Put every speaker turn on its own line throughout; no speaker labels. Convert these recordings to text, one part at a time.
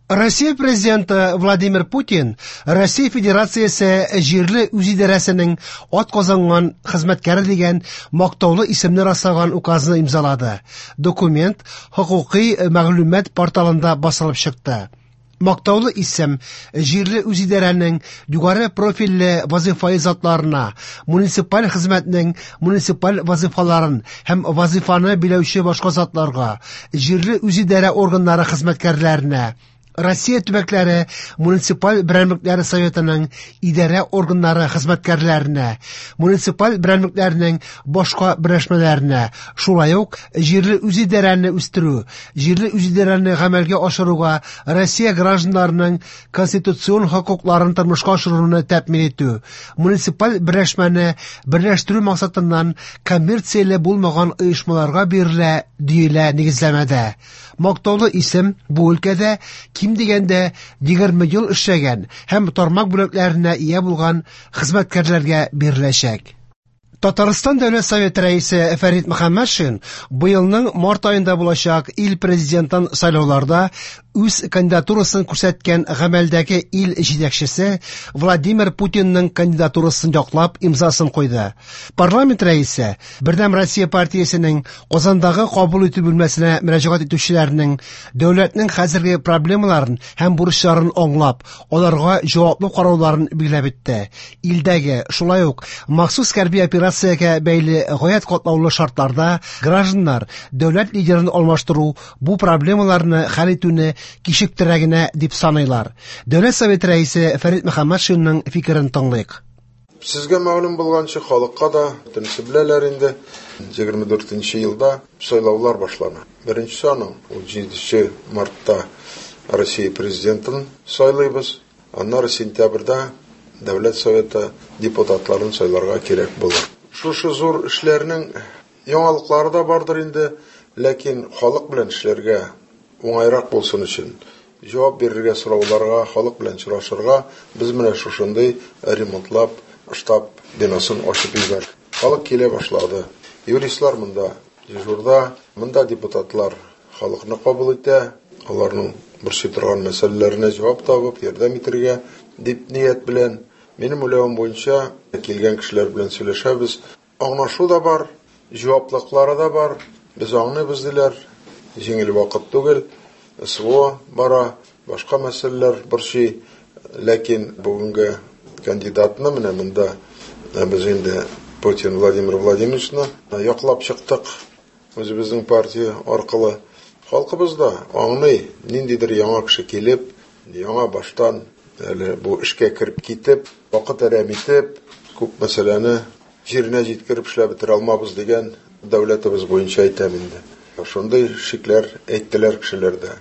Россия Президенты Владимир Путин Россия Федерациясе җирле үзидарәсенең атказанган хезмәткәре дигән мактаулы исемне раслаган указны имзалады. Документ хокукый мәгълүмат порталында басылып чыкты. Мактаулы исем җирле үзидарәнең югары профильле вазифаи затларына, муниципаль хезмәтнең муниципаль вазифаларын һәм вазифаны биләүче башка затларга, җирле үзидарә органнары хезмәткәрләренә, Россия төбәкләре муниципаль берәмлекләре советының идарә органнары хезмәткәрләренә, муниципаль берәмлекләрнең башка берләшмәләренә, шулай ук җирле үзидарәне үстерү, җирле үзидарәне гамәлгә ашыруга Россия гражданнарының конституцион хокукларын тормышка ашыруны тәэмин итү, муниципаль берләшмәне берләштерү максатыннан коммерцияле булмаган оешмаларга бирелә, диелә нигезләмәдә. Мактаулы исем бу өлкәдә ким дигәндә 20 ел эшләгән һәм тармак бүләкләренә ия булган хезмәткәрләргә биреләчәк. Татарстан Дәүләт Советы рәисе Фәрит Мөхәммәтшин быелның март аенда булачак ил президентын сайлауларда үз кандидатурасын күрсәткән гамәлдәге ил җитәкчесе Владимир Путинның кандидатурасын яклап имзасын куйды. Парламент рәисе Бердәм Россия партиясенең Казандагы кабул итү бүлмәсенә мөрәҗәгать итүчеләрнең дәүләтнең хәзерге проблемаларын һәм бурычларын аңлап, аларга җаваплы карауларын билгеләп үтте. Илдәге, шулай ук махсус хәрби операциягә бәйле гаять катлаулы шартларда гражданнар дәүләт лидерын алмаштыру бу проблемаларны хәл итүне кичектерә генә дип саныйлар. Дәүләт Советы рәисе Фәрит Мөхәммәтшинның фикерен тыңлыйк.
Сезгә мәгълүм булганча, халыкка да бөтенесе беләләр инде. 24 елда сайлаулар башлана. Беренчесе аның 17 мартта Россия президентын сайлыйбыз. Аннары сентябрьдә Дәүләт Советы депутатларын сайларга кирәк булыр. Шушы зур эшләрнең яңалыклары да бардыр инде, ләкин халык белән эшләргә уңайрак булсын өчен, җавап бирергә сорауларга, халык белән очрашырга без менә шушындый ремонтлап штаб бинасын ачып җибәрдек. Халык килә башлады. Юристлар монда дежурда, монда депутатлар халыкны кабул итә, аларның борчый торган мәсьәләләренә җавап табып, ярдәм итәргә дип ният белән. Минем уйлавым буенча, килгән кешеләр белән сөйләшәбез. Аңлашу да бар, җаваплыклары да бар. Без аңлыйбыз диләр. Җиңел вакыт түгел. СВО бара, башка мәсьәләләр борчый. Ләкин бүгенге кандидатны менә монда без инде Путин Владимир Владимировичны яклап чыктык. Үзебезнең партия аркылы. Халкыбыз да аңлый, ниндидер яңа кеше килеп, яңа баштан әле бу эшкә кереп китеп, вакыт әрәм итеп, күп мәсьәләне җиренә җиткереп эшләп бетерә алмабыз дигән дәүләтебез буенча әйтәм инде. Шундый шикләр әйттеләр кешеләр дә.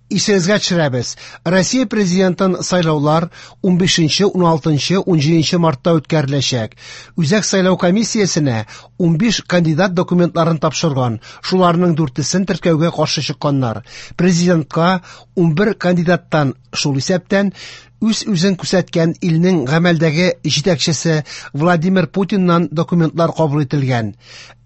Исегезгә төшерәбез, Россия президентын сайлаулар 15, 16, 17 мартта үткәреләчәк. Үзәк сайлау комиссиясенә 15 кандидат документларын тапшырган, шуларның 4-сен теркәүгә каршы чыкканнар. Президентка 11 кандидаттан, шул исәптән, үз-үзен күрсәткән илнең гамәлдәге җитәкчесе Владимир Путиннан документлар кабул ителгән.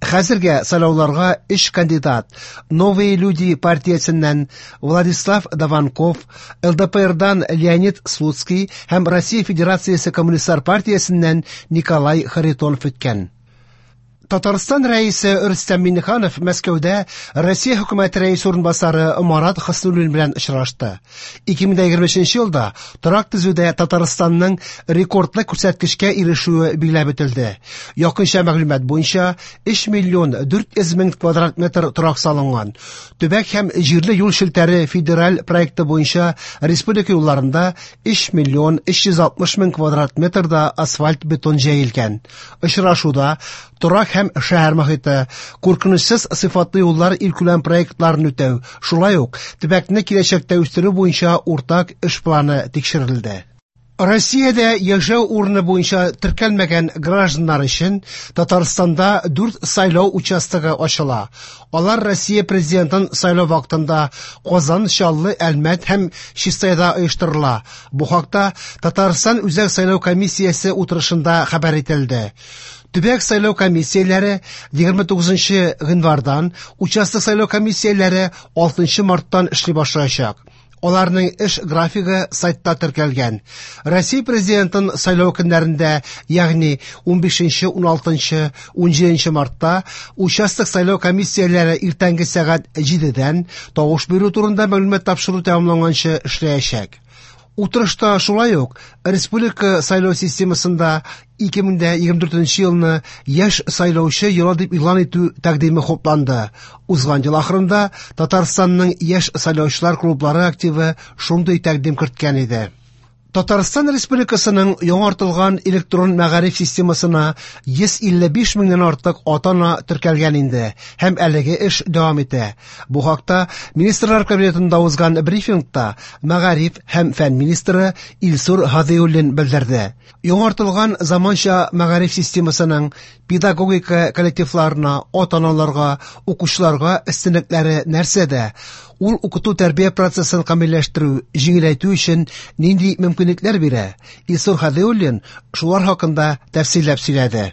Хәзергә сайлауларга 3 кандидат: Новые люди партиясеннән Владислав Даванков, ЛДПРдан Леонид Слуцкий һәм Россия Федерациясе Коммунистлар партиясеннән Николай Харитонов үткән. Татарстан рәисе Рөстәм Миңнеханов Мәскәүдә Россия хөкүмәте рәисе урынбасары Марат Хөснуллин белән очрашты. 2023 елда торак төзүдә Татарстанның рекордлы күрсәткечкә ирешүе билгеләп үтелде. Якынча мәгълүмат буенча 3 миллион 400 мең квадрат метр торак салынган. Төбәк һәм җирле юл челтәре федераль проекты буенча республика юлларында 3 миллион 360 мең квадрат метрда асфальт бетон җәелгән. Очрашуда торак һәм шәһәр мохите, куркынычсыз сыйфатлы юллар илкүләм проектларын үтәү, шулай ук төбәкне киләчәктә үстерү буенча уртак эш планы тикшерелде. Россиядә яшәү урыны буенча теркәлмәгән гражданнар өчен Татарстанда 4 сайлау участогы ачыла. Алар Россия президентын сайлау вакытында Казан, Чаллы, Әлмәт һәм Чистайда оештырыла. Бу хакта Татарстан Үзәк сайлау комиссиясе утырышында хәбәр ителде. Төбәк сайлау комиссияләре 29 гыйнвардан, участок сайлау комиссияләре 6 марттан эшли башлаячак. Аларның эш графигы сайтта теркәлгән. Россия Президентын сайлау көннәрендә, ягъни 15, 16, 17 мартта участок сайлау комиссияләре иртәнге сәгать 7-дән тавыш бирү турында мәгълүмат тапшыру тәмамланганчы эшләячәк. Утырышта шулай ук республика сайлау системасында 2024 елны яшь сайлаучы елы дип игълан итү тәкъдиме хупланды. Узган ел ахырында Татарстанның яшь сайлаучылар клублары активы шундый тәкъдим керткән иде. Татарстан Республикасының яңартылган электрон мәгариф системасына 155 меңнән артык ата-ана теркәлгән инде һәм әлеге эш дәвам итә. Бу хакта Министрлар Кабинетында узган брифингта мәгариф һәм фән министры Илсур Һадиуллин белдерде. Яңартылган заманча мәгариф системасының педагогика коллективларына, ата-аналарга, укучыларга өстенлекләре нәрсәдә? Ул укыту тәрбия процессын камилләштерү, җиңеләйтү өчен нинди мөмкинлекләр бирә? Илсур Һадиуллин шулар хакында тәфсилләп сөйләде.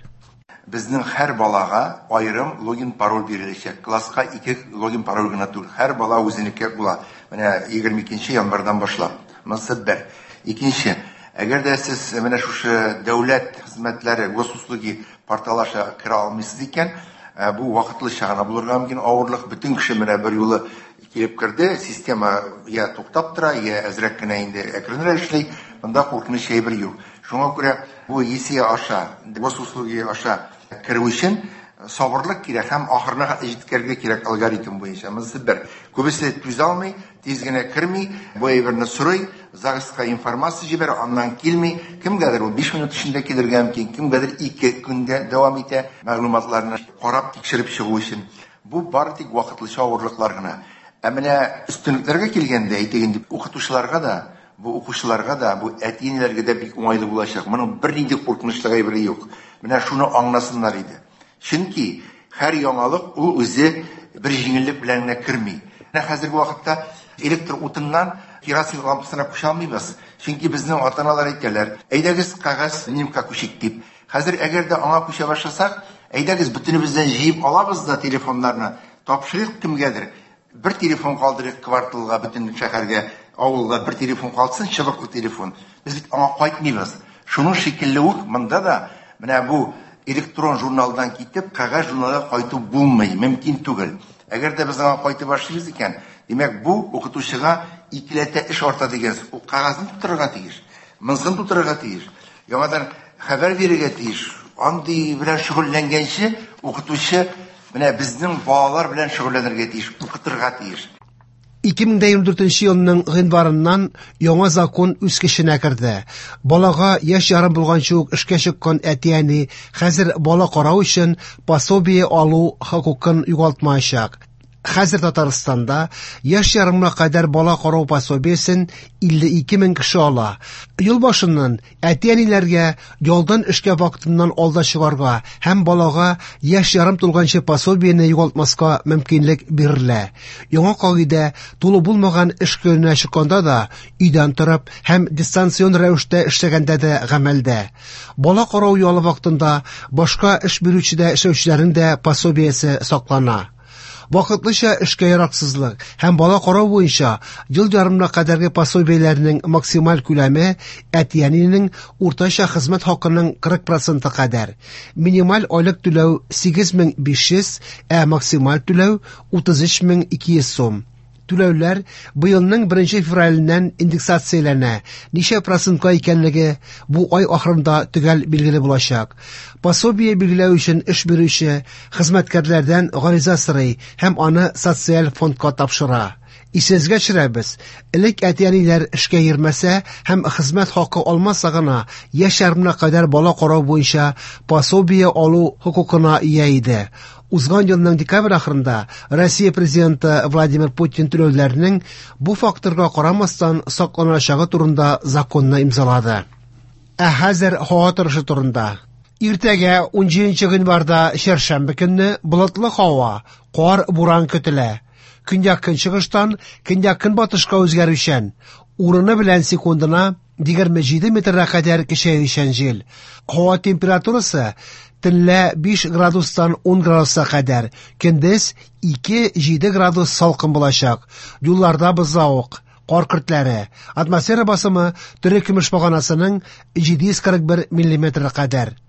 Безнең һәр балага аерым логин-пароль биреләчәк. Класска ике логин-пароль гына түгел, һәр бала үзенеке була. Менә 22 январьдан башлап. Монысы бер. Икенче, әгәр дә сез менә шушы дәүләт хезмәтләре, госуслуги порталы аша керә алмыйсыз икән, бу вакытлыча гына булырга мөмкин авырлык. Бөтен кеше менә бер юлы килеп керде, система я туктап тора, я әзрәк кенә инде әкренрәк эшли, монда куркыныч әйбер юк. Шуңа күрә бу ЕСИА аша, госуслуги аша керү өчен сабырлык кирәк һәм ахырына җиткерергә кирәк алгоритм буенча. Монысы бер. Күбесе түзә алмый, тиз генә керми, бу әйберне сорый, ЗАГСка информация җибәрә, аннан килми. Кемгәдер ул 5 минут эчендә килергә мөмкин, кемгәдер 2 көндә дәвам итә мәгълүматларны карап тикшереп чыгу өчен. Бу бары тик вакытлыча авырлыклар гына. Ә менә өстенлекләргә килгәндә, әйтик инде, укытучыларга да, бу укучыларга да, бу әти-әниләргә дә бик уңайлы булачак. Моның бернинди куркынычлы әйбере юк. Менә шуны аңласыннар иде. Чөнки һәр яңалык ул үзе бер җиңеллек белән генә керми. Менә хәзерге вакытта электр утыннан керосин лампасына күчә алмыйбыз. Чөнки безнең ата-аналар әйтәләр, әйдәгез кәгазь нимка күчик дип. Хәзер әгәр дә аңа күчә башласак, әйдәгез бөтенебездән җыеп алабыз да телефоннарны, тапшырыйк кемгәдер. Бер телефон калдырыйк кварталга, бөтен шәһәргә, авылга бер телефон калсын, чыбыклы телефон. Без бит аңа кайтмыйбыз. Шуның шикелле үк монда да менә бу электрон журналдан китеп, кәгазь журналга кайту булмый, мөмкин түгел. Әгәр дә без аңа кайтып башлыйбыз икән, димәк, бу укытучыга икеләтә эш арта дигән сүз. Ул кәгазьне тутырырга тиеш, монысын тутырырга тиеш, яңадан хәбәр бирергә тиеш. Андый белән шөгыльләнгәнче укытучы менә безнең балалар белән шөгыльләнергә тиеш, укытырга тиеш.
2024 елның гыйнварыннан яңа закон үз көченә керде. Балага яшь ярым булганчы ук эшкә чыккан әти-әни хәзер бала карау өчен пособие алу хокукын югалтмаячак. Хәзер Татарстанда яшь ярымга кадәр бала карау пособиесен 52 мең кеше ала. Ел башыннан әти-әниләргә ялдан эшкә вакытыннан алда чыгарга һәм балага яшь ярым тулганчы пособиене югалтмаска мөмкинлек бирелә. Яңа кагыйдә тулы булмаган эш көненә чыкканда да, өйдән торып һәм дистанцион рәвештә эшләгәндә дә гамәлдә. Бала карау ялы вакытында башка эш бирүчедә эшләүчеләрнең дә пособиесе саклана. Вакытлыча эшкә яраксызлык һәм бала карау буенча ел ярымына кадәрге пособиеләрнең максималь күләме әти-әнинең уртача хезмәт хакының 40% кадәр. Минималь айлык түләү 8500, ә максималь түләү 33200 сум. Түләүләр быелның 1 февраленнән индексацияләнә. Ничә процентка икәнлеге бу ай ахырында төгәл билгеле булачак. Пособие билгеләү өчен эш бирүче хезмәткәрләрдән гариза сорый һәм аны социаль фондка тапшыра. Исегезгә төшерәбез, элек әти-әниләр эшкә йөрмәсә һәм хезмәт хакы алмаса гына яшь ярымына кадәр бала карау буенча пособие алу хокукына ия иде. Узган елның декабрь ахырында Россия президенты Владимир Путин түләүләрнең бу факторга карамастан сакланачагы турында законны имзалады. Ә хәзер һава торышы турында. Иртәгә 17 гыйнварда чәршәмбе көнне болытлы һава, кар, буран көтелә. Көньяк-көнчыгыштан көньяк-көнбатышка үзгәрүчән, урыны белән секундына 27 метрга кадәр көчәючән җил. Һава температурасы төнлә 5 градустан 10 градуска кадәр, көндез 2-7 градус салкын булачак. Юлларда бозлавык. кар көртләре. Атмосфера басымы терекөмеш баганасының 741 миллиметры кадәр.